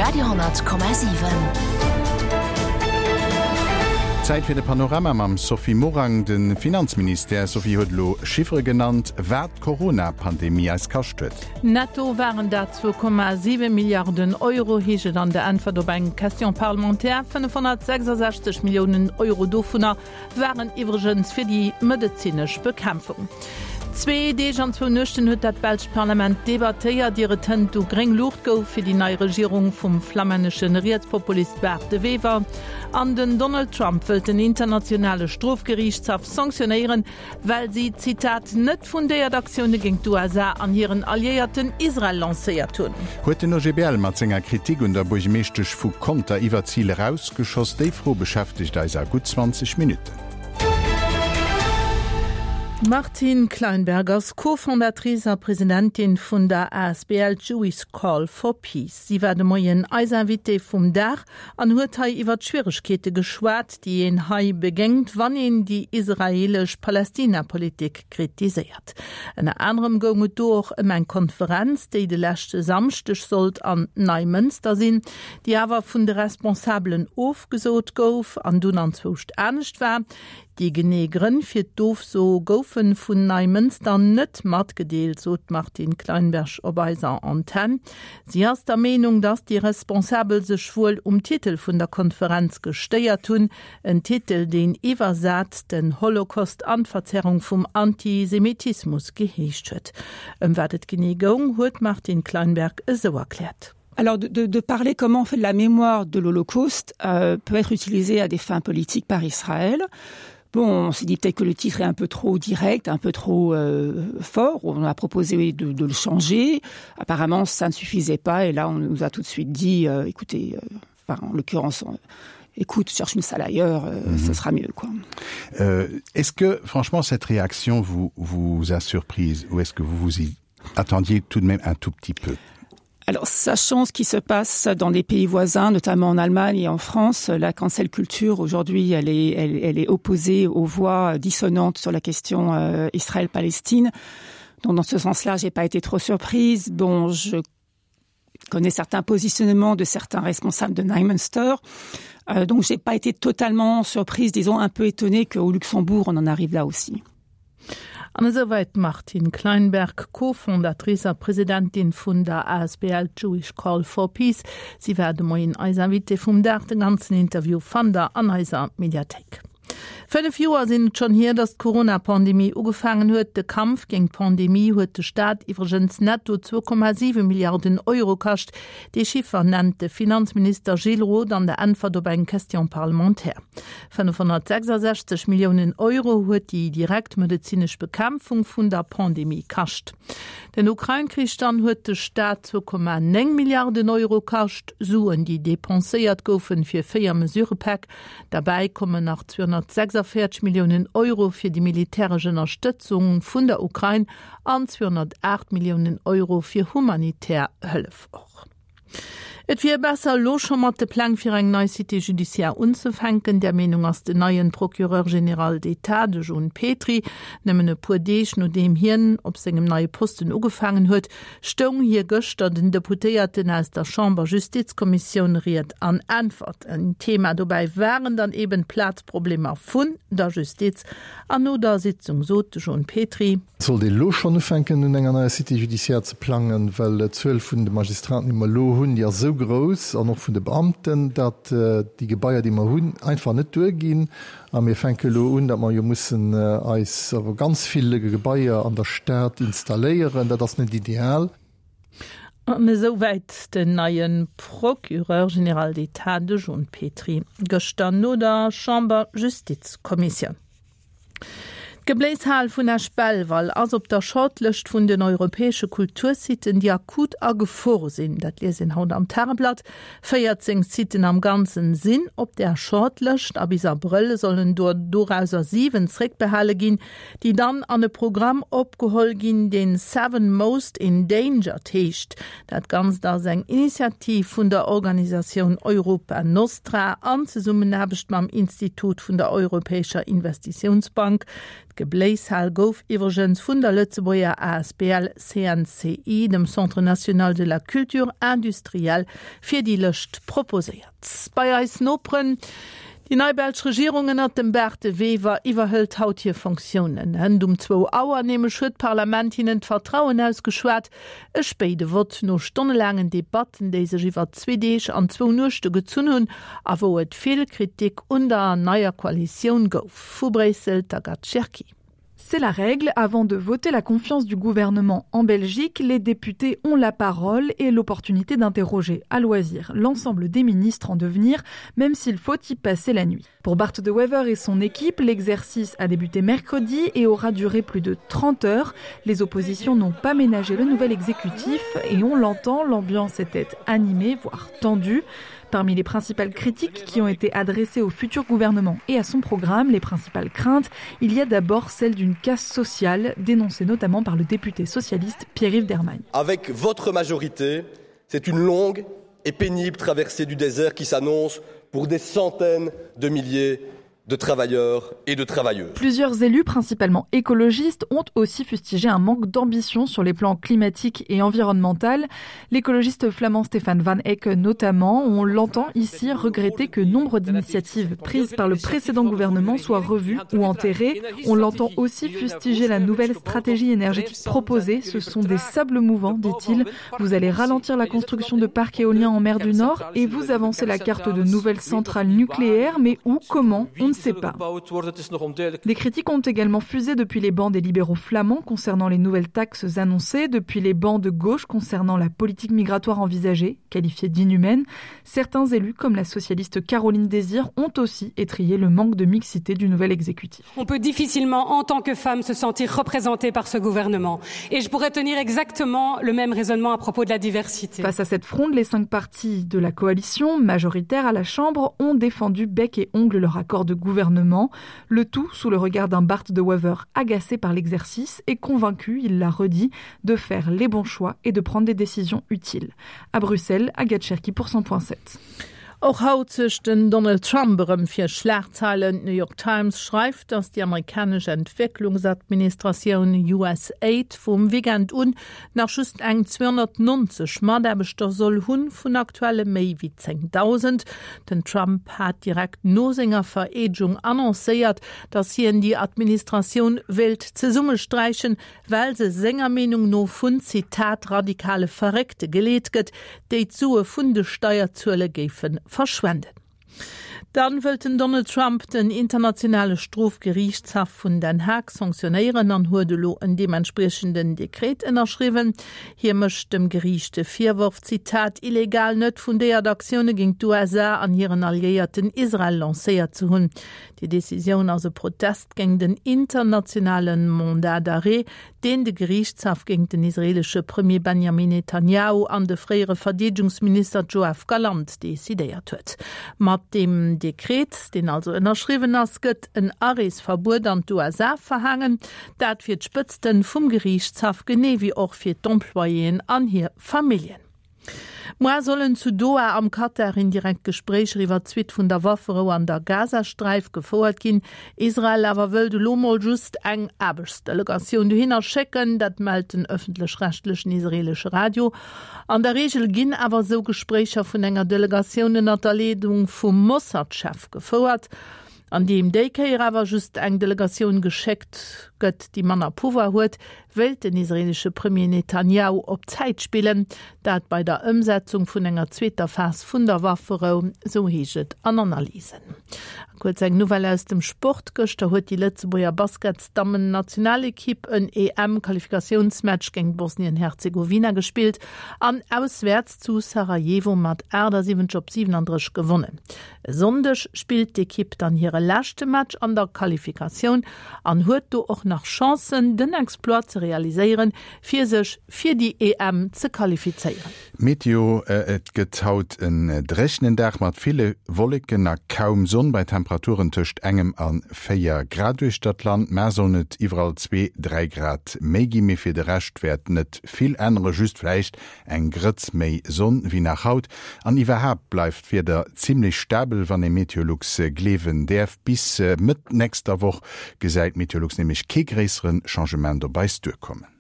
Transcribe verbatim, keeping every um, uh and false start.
Radio honnert Komma siwen. Zäit fir de Panorama mam Sophie Morang. De Finanzministère, Sophie, huet elo Chiffere genannt, wat d'Corona-Pandemie eis kascht huet. Netto waren dat zwou Komma siwe Milliarden Euro, heescht et an der Äntwert op eng Question parlementaire. fënnefhonnertsechsasechzeg Milliounen Euro dovunner waren iwwregens fir déi medezinesch Bekämpfung. Zwee Deeg an zwou Nuechten huet dat belscht Parlament debattéiert, ier et hënt du gréng Luucht gouf fir déi nei Regierung vum flammännesche Rietspopulist Bart De Wever. An den Donald Trump wëllt den internationale Strofgeriichtshaff sanktionéieren, well si, Zitat, net fundéiert Aktioune géint d'U S A an hiren Alliéierten Israel lancéiert hunn. Huet den O G B L mat senger Kritik un der Buergermeeschtesch vu Conter iwwer d'Zil erausgeschoss? Déi Fro beschäftegt eis a gutt zwanzeg Minutten. D'Martine Kleinberg ass Co-Fondatrice a Presidentin vun der A S B L Jewish Call for Peace. Si war de Moien eis Invitée vum Dag an huet hei iwwer d'Schwieregkeete geschwat, déi een hei begéint, wann een déi israelesch Palästina-Politik kritiséiert. Ënner anerem goung et do och ëm eng Konferenz, déi de leschte Samschdeg sollt an Neimënster sinn, déi awer vun de Responsabelen ofgesot gouf an dunn anzwouscht anescht war. Déi genee Grënn fir d'Ofso goufe vun Neimënster net matgedeelt, sot d'Martine Kleinberg op eiser Antenn. Si ass der Meenung, datt déi Responsabel sech wuel um Titel vun der Konferenz gestéiert hunn, en Titel, deen iwwersat den Holocaust an d'Verzerrung vum Antisemitismus geheescht huet. Ëm wat et genee goung, huet d'Martine Kleinberg esou erkläert. Alors, de, de, de parler comment on fait de la mémoire de l'Holocauste, euh, peut être utilisé à des fins politiques par Israël. Bon, on s'est dit peut-être que le titre est un peu trop direct, un peu trop, euh, fort. On a proposé de, de le changer. Apparemment, ça ne suffisait pas. Et là, on nous a tout de suite dit, euh, écoutez, euh, enfin, en l'occurrence, on, écoute, cherche une salle ailleurs, euh, Mhm. ce sera mieux, quoi. Euh, est-ce que, franchement, cette réaction vous, vous a surprise ou est-ce que vous vous y attendiez tout de même un tout petit peu? Alors, sachant ce qui se passe dans des pays voisins, notamment en Allemagne et en France, la cancel culture, aujourd'hui, elle est, elle, elle est opposée aux voix dissonantes sur la question, euh, Israël-Palestine. Donc, dans ce sens-là, j'ai pas été trop surprise. Bon, je connais certains positionnements de certains responsables de Neimënster. Euh, donc, j'ai pas été totalement surprise, disons, un peu étonnée qu'au Luxembourg, on en arrive là aussi. An esouwäit d'Martine Kleinberg, Co-Fondatrice a Presidentin vun der A S B L Jewish Call for Peace. Si war de Moien eis Invitée vum Dag. De ganzen Interview fannt der an eiser Mediathéik. Fënnef Joer sinn et schonn hier, datt d'Corona-Pandemie ugefaangen huet. De Kampf géint d'Pandemie huet de Staat iwwregens netto zwou Komma siwe Milliarden Euro kascht. Dee Chiffer nennt de Finanzminister Gilles Roth an der Äntwert op eng Question parlementaire. fënnefhonnertsechsasechzeg Milliounen Euro huet déi direkt medezinesch Bekämpfung vun der Pandemie kascht. Den Ukrain-Krich dann huet de Staat zwou Komma néng Milliarden Euro kascht, Suen, déi depenséiert goufen fir véier Mesurepäck. Dabei kommen nach zweihundertsechsundvierzig Millionen Euro fir die militärische Unterstützung vun der Ukraine an zweihundertacht Millionen Euro fir humanitär Hëllef och. Et wier besser elo scho mat de Pläng fir eng nei Cité judiciaire unzefänken. Der Meenung ass den neien Procureur général d'État, de Jean Petry. Nëmmen e puer Deeg nodeem hien op sengem neie Posten ugefaangen huet, stoung hie gëschter den Deputéierten aus der Chamber-Justizkommissioun Ried an Äntwert. En Thema dobäi waren dann eben Plazproblemer vun der Justiz. An no der Sitzung sot de Jean Petry: Sollt ee lo schonn ufänken, un enger neier Cité judiciaire ze plangen, well d'Zuel vun de Magistraten, déi mer lo hunn, déi ass esou grouss, an och vun de Beamten, datt, äh, déi Gebaier, déi mer hunn, einfach net duerginn. A mir fänke lo un, datt mer jo mussen, äh, eis awer ganz vill Gebaier an der Stad installéieren. Dat ass net ideal. An esouwäit den neien Procureur général d'État, de Jean Petry, gëschter no der Chamber-Justizkommissioun. D'Gebléishal vun Esch-Belval ass op der Shortlëscht vun den europäesche Kultursiten, déi akut a Gefor sinn. Dat liest een haut am Tageblatt. véierzéng Siten am Ganzen sinn op der Shortlëscht. A bis Abrëll sollen do dorauser siwen zréckbehale ginn, déi dann an e Programm opgeholl ginn, deen Seven Most Endangered heescht. Dat Ganzt ass eng Initiativ vun der Organisatioun Europa Nostra an Zesummenaarbecht mam Institut vun der Europäescher Investitiounsbank. D'Gebléishal gouf iwwregens vun der Lëtzebuerger A S B L C N C I, dem Centre national de la culture industrielle, fir déi Lëscht proposéiert. Bei eis Noperen: Déi nei belsch Regierung ënnert dem Bart De Wever iwwerhëlt haut hir Fonctiounen. Hënt um zwou Auer nämlech huet d'Parlament hinnen d'Vertrauen ausgeschwat. E spéide Vott no stonnelaangen Debatten, déi sech iwwer zwee Deeg an zwou Nuechte gezunn hunn a wou et vill Kritik un der neier Koalitioun gouf. Vu Bréissel d'Agathe Cherki. C'est la règle. Avant de voter la confiance du gouvernement en Belgique, les députés ont la parole et l'opportunité d'interroger à loisir l'ensemble des ministres en devenir, même s'il faut y passer la nuit. Pour Bart de Wever et son équipe, l'exercice a débuté mercredi et aura duré plus de trente heures. Les oppositions n'ont pas ménagé le nouvel exécutif et on l'entend, l'ambiance était animée, voire tendue. Parmi les principales critiques qui ont été adressées au futur gouvernement et à son programme, les principales craintes, il y a d'abord celle d'une casse sociale, dénoncée notamment par le député socialiste Pierre-Yves Dermagne. Avec votre majorité, c'est une longue et pénible traversée du désert qui s'annonce pour des centaines de milliers de travailleurs et de travailleuses. Plusieurs élus, principalement écologistes, ont aussi fustigé un manque d'ambition sur les plans climatique et environnemental. L'écologiste flamand Stéphane Van Eck notamment, on l'entend ici regretter que nombre d'initiatives prises par le précédent gouvernement soient revues ou enterrées. On l'entend aussi fustiger la nouvelle stratégie énergétique proposée. Ce sont des sables mouvants, dit-il. Vous allez ralentir la construction de parcs éoliens en mer du Nord et vous avancez la carte de nouvelles centrales nucléaires, mais où, comment, on ne sait pas. Des critiques ont également fusé depuis les bancs des libéraux flamands concernant les nouvelles taxes annoncées, depuis les bancs de gauche concernant la politique migratoire envisagée, qualifiée d'inhumaine. Certains élus, comme la socialiste Caroline Désir, ont aussi étrillé le manque de mixité du nouvel exécutif. On peut difficilement, en tant que femme, se sentir représentée par ce gouvernement. Et je pourrais tenir exactement le même raisonnement à propos de la diversité. Face à cette fronde, les cinq partis de la coalition majoritaire à la Chambre ont défendu bec et ongle leur accord de gouvernement. Le tout sous le regard d'un Bart de Wever agacé par l'exercice et convaincu, il l'a redit, de faire les bons choix et de prendre des décisions utiles. À Bruxelles, Agathe Cherki pour cent point sept. Och haut suergt den Donald Trump erëm fir Schlagzeilen. D'New York Times schreift, datt déi amerikanesch Entwécklungsadministratioun U S A I D vum Weekend un nach just eng zweehonnertnonzeg Mataarbechter soll hunn, vun aktuelle méi wéi zéngdausend. Den Trump hat direkt no senger Vereedegung annoncéiert, datt hien déi Administratioun wéilt zesummesträichen, well se senger Meenung no vun, Zitat, radikale Verréckte geleet gëtt, déi d'Sue vun de Steierzueler géife verschwenden. Dann wëllt den Donald Trump den internationale Strofgeriichtshaff vun Den Haag sanktionéieren an huet elo en deementspriechenden Dekret ënnerschriwwen. Hie mécht dem Geriicht de Virworf, Zitat, illegal net fundéiert Aktioune géint d'U S A an hiren Alliéierten Israel lancéiert ze hunn. Déi Decisioun ass e Protest géint den internationale Mandat d'arrêt, deen de Geriichtshaff géint den israeelesche Premier Benjamin Netanyahu an de fréiere Verdeedegungsminister Joav Galant decidéiert huet. Mat deem Dekret, deen also ënnerschriwwen ass, gëtt en Areesverbuet an d'U S A verhaangen, dat fir d'Spëtzte vum Geriichtshaff genee wéi och fir d'Employéen an hir Familljen. Muer sollen zu Doha am Katar indirekt Gespréicher iwwer d'Suite vun der Wafferou an der Gazasträif gefouert ginn. Israel awer wëllt elo mol just eng Aarbechtsdelegatioun dohinner schécken, dat mellt den ëffentlech-rechtlechen israeelesche Radio. An der Reegel ginn awer sou Gespréicher vun enger Delegatioun ënner der Leedung vum Mossad-Chef gefouert. An deem déi Kéier awer just eng Delegatioun geschéckt gëtt, déi manner Pouvoir huet, wëllt den israeelesche Premier Netanyahu op Zäit spillen, dat bei der Ëmsetzung vun enger zweeter Phas vun der Wafferou, sou heescht et an Analysen. Kuerz eng Nouvelle aus dem Sport: Gëschter huet déi Lëtzebuerger Basketsdammen-Nationalekipp en E M-Qualifikatiounsmatch géint Bosnien-Herzegowina gespillt an auswäerts zu Sarajevo mat achtesiwwenzeg op siwenendrësseg gewonnen. E Sonndeg spillt d'Ekipp dann hire leschte Match an der Qualifikatioun an huet do och nach Chancen, den Exploit ze realiséieren, fir sech fir déi E M ze qualifizéieren. Meteo: Et gëtt haut en dréchenen Dag mat ville Wolleken a kaum Sonn bei Temperaturen tëscht engem a véier Grad uechter d'Land. Muer sollen et iwwerall zwee, dräi Grad méi ginn, mee fir de Rescht wäert net vill änneren, just vläicht eng Grëtz méi Sonn wéi nach haut. An iwwerhaapt bleift d'Wieder zimmlech stabel, wann ee Meteolux gleewen däerf. Bis Mëtt nächster Woch gesäit Meteolux nämlech kee kee gréissere Changement op eis duerkommen.